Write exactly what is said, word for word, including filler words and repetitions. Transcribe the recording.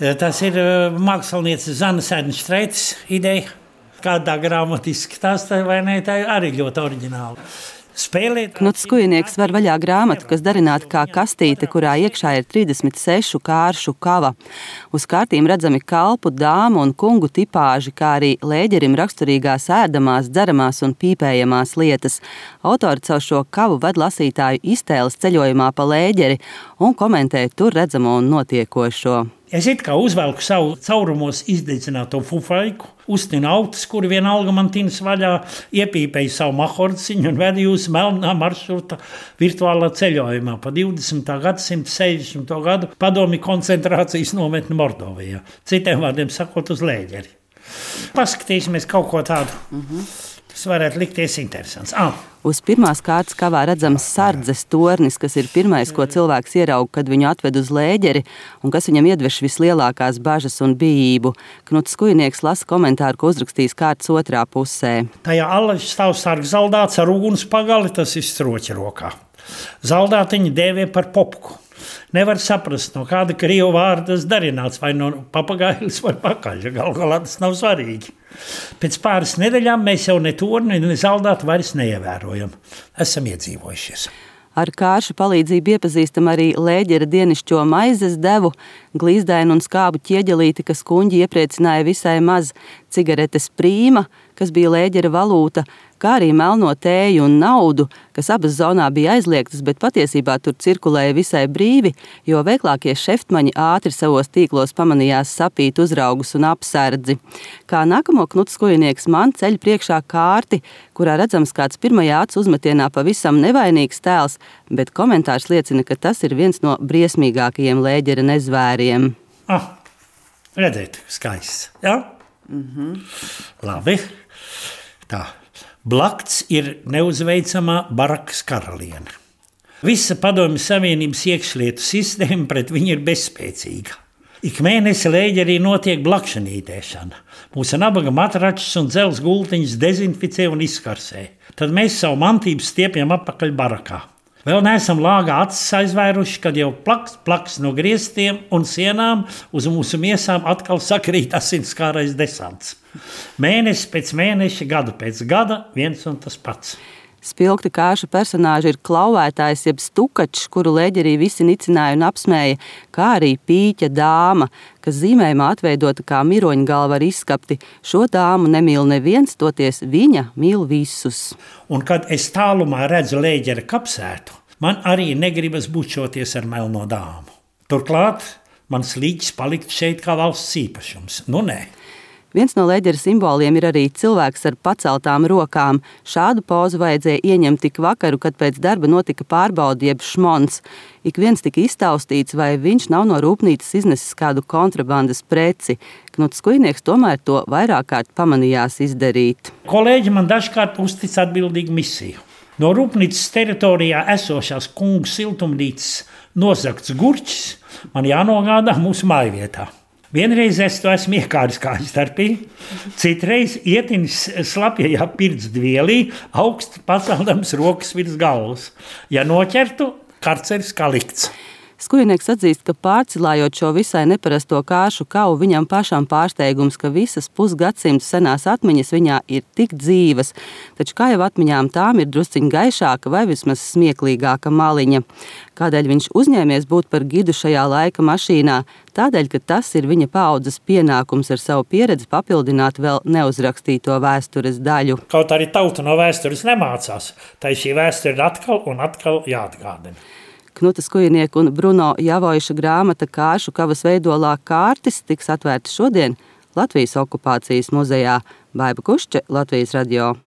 Tas ir mākslinieces Zanas Ernštreites ideja. Kādā grāmatā izskatās, vai ne, tā arī ļoti oriģināla. Spēlēt. Knuts Skujnieks var vaļā grāmatu, kas darināta kā kastīte, kurā iekšā ir trīsdesmit sešu kāršu kava. Uz kārtīm redzami kalpu, dāmu un kungu tipāži, kā arī Lēģerim raksturīgās ēdamās, dzeramās un pīpējamās lietas. Autori caur šo kavu ved lasītāju iztēles ceļojumā pa Lēģeri un komentē tur redzamo un notiekošo. Es it kā uzvelku savu caurumos izdedzināto fufaiku, uztinu autus, kuri vienalga man tinas vaļā, iepīpēju savu mahorciņu un vedu jūs melnā maršruta virtuālā ceļojumā pa divdesmitā gadsimta sešdesmito gadu padomju koncentrācijas nometni Mordovijā. Citiem vārdiem sakot, uz Lēģeri. Paskatīsimies kaut ko tādu. Mhm. Tas varētu likties interesants. Ah. Uz pirmās kārtas kavā redzams sardzes tornis, kas ir pirmais, ko cilvēks ieraug, kad viņu atved uz Lēģeri, un kas viņam iedveš vislielākās bažas un bijību. Knuts Skujnieks lasa komentāru, ko uzrakstījis kārtas otrā pusē. Tajā allaž stāv sargs zaldāts ar uguns pagali, tas ir stroķa rokā. Zaldātiņu dēvē par popku. Nevar saprast, no kāda krievu vārda tas darināts, vai no papagailis vai pakaļa. Galu galā tas nav svarīgi. Pēc pāris nedēļām mēs jau ne torni, ne zaldātu vairs neievērojam. Esam iedzīvojušies. Ar kāršu palīdzību iepazīstam arī Lēģera dienišķo maizes devu, glīzdainu un skābu ķieģelīti, kas kuņģi iepriecināja visai maz, cigaretes prīma, kas bija Lēģera valūta, kā arī melno tēju un naudu, kas abas zonā bija aizliegtas, bet patiesībā tur cirkulēja visai brīvi, jo veiklākie šeftmaņi ātri savos tīklos pamanījās sapīt uzraugus un apsardzi. Kā nākamo Knuts Skujnieks man ceļ priekšā kārti, kurā redzams kāds pirmajā acu uzmetienā pavisam nevainīgs tēls, bet komentārs liecina, ka tas ir viens no briesmīgākajiem Lēģera nezvēriem. Ah, redzēt, skaists, jā? Mhm. Labi, tā. Blakts ir neuzveicamā Barakas karaliene. Visa Padomju Savienības iekšlietu sistēma pret viņu ir bezspēcīga. Ik mēnesi Lēģerī notiek blakšanītēšana. Mūsu nabaga matračus un dzels gultiņus dezinficē un izkarsē. Tad mēs savu mantību stiepjam atpakaļ barakā. Vēl neesam lāgā acis aizvēruši, kad jau plaks, plaks no griestiem un sienām uz mūsu miesām atkal sakrīt asinskārais desants. Mēnesis pēc mēneša, gadu pēc gada, viens un tas pats. Spilgti kāršu personāži ir klauvētājs jeb stukačs, kuru Lēģerī visi nicināja un apsmēja, kā arī pīķa dāma, kas zīmējumā atveidota kā miroņgalva ar izskapti. Šo dāmu nemīl neviens, toties viņa mīl visus. Un kad es tālumā redzu Lēģera kapsētu, man arī negribas bučoties ar melno dāmu. Turklāt mans līķis palikt šeit kā valsts īpašums. Nu nē. Viens no Lēģera simboliem ir arī cilvēks ar paceltām rokām. Šādu pozu vajadzēja ieņemt tik vakaru, kad pēc darba notika pārbaudi jeb šmons. Ik viens tika iztaustīts, vai viņš nav no rūpnīcas iznesis kādu kontrabandas preci. Knuts Skujnieks tomēr to vairāk kārt pamanījās izdarīt. Kolēģi man dažkārt uztic atbildīgu misiju. No rūpnīcas teritorijā esošās kungu siltumnīcas nozagts gurķis man jānogādā mūsu mājvietā. Vienreiz es to esmu iekāris kāju starpī, citreiz ietinis slapjajā pirtsdvielī, augsti paceldams rokas virs galvas. Ja noķertu, karceris kā likts. Skujnieks atzīst, ka pārcilājot šo visai neparasto kāršu kavu, viņam pašam pārsteigums, ka visas pusgadsimtu senās atmiņas viņā ir tik dzīvas, taču kā jau atmiņām tām ir drusciņ gaišāka vai vismaz smieklīgāka maliņa. Kādēļ viņš uzņēmies būt par gidu šajā laika mašīnā? Tādēļ, ka tas ir viņa paaudzes pienākums ar savu pieredzi papildināt vēl neuzrakstīto vēstures daļu. Kaut arī tauta no vēstures nemācās, tai šī vēsture ir atkal un atkal jāatgādina. Knuta Skujnieka un Bruno Javoiša grāmata Kāršu kavas veidolā kārtis tiks atvērta šodien Latvijas okupācijas muzejā. Baiba Kušče, Latvijas radio.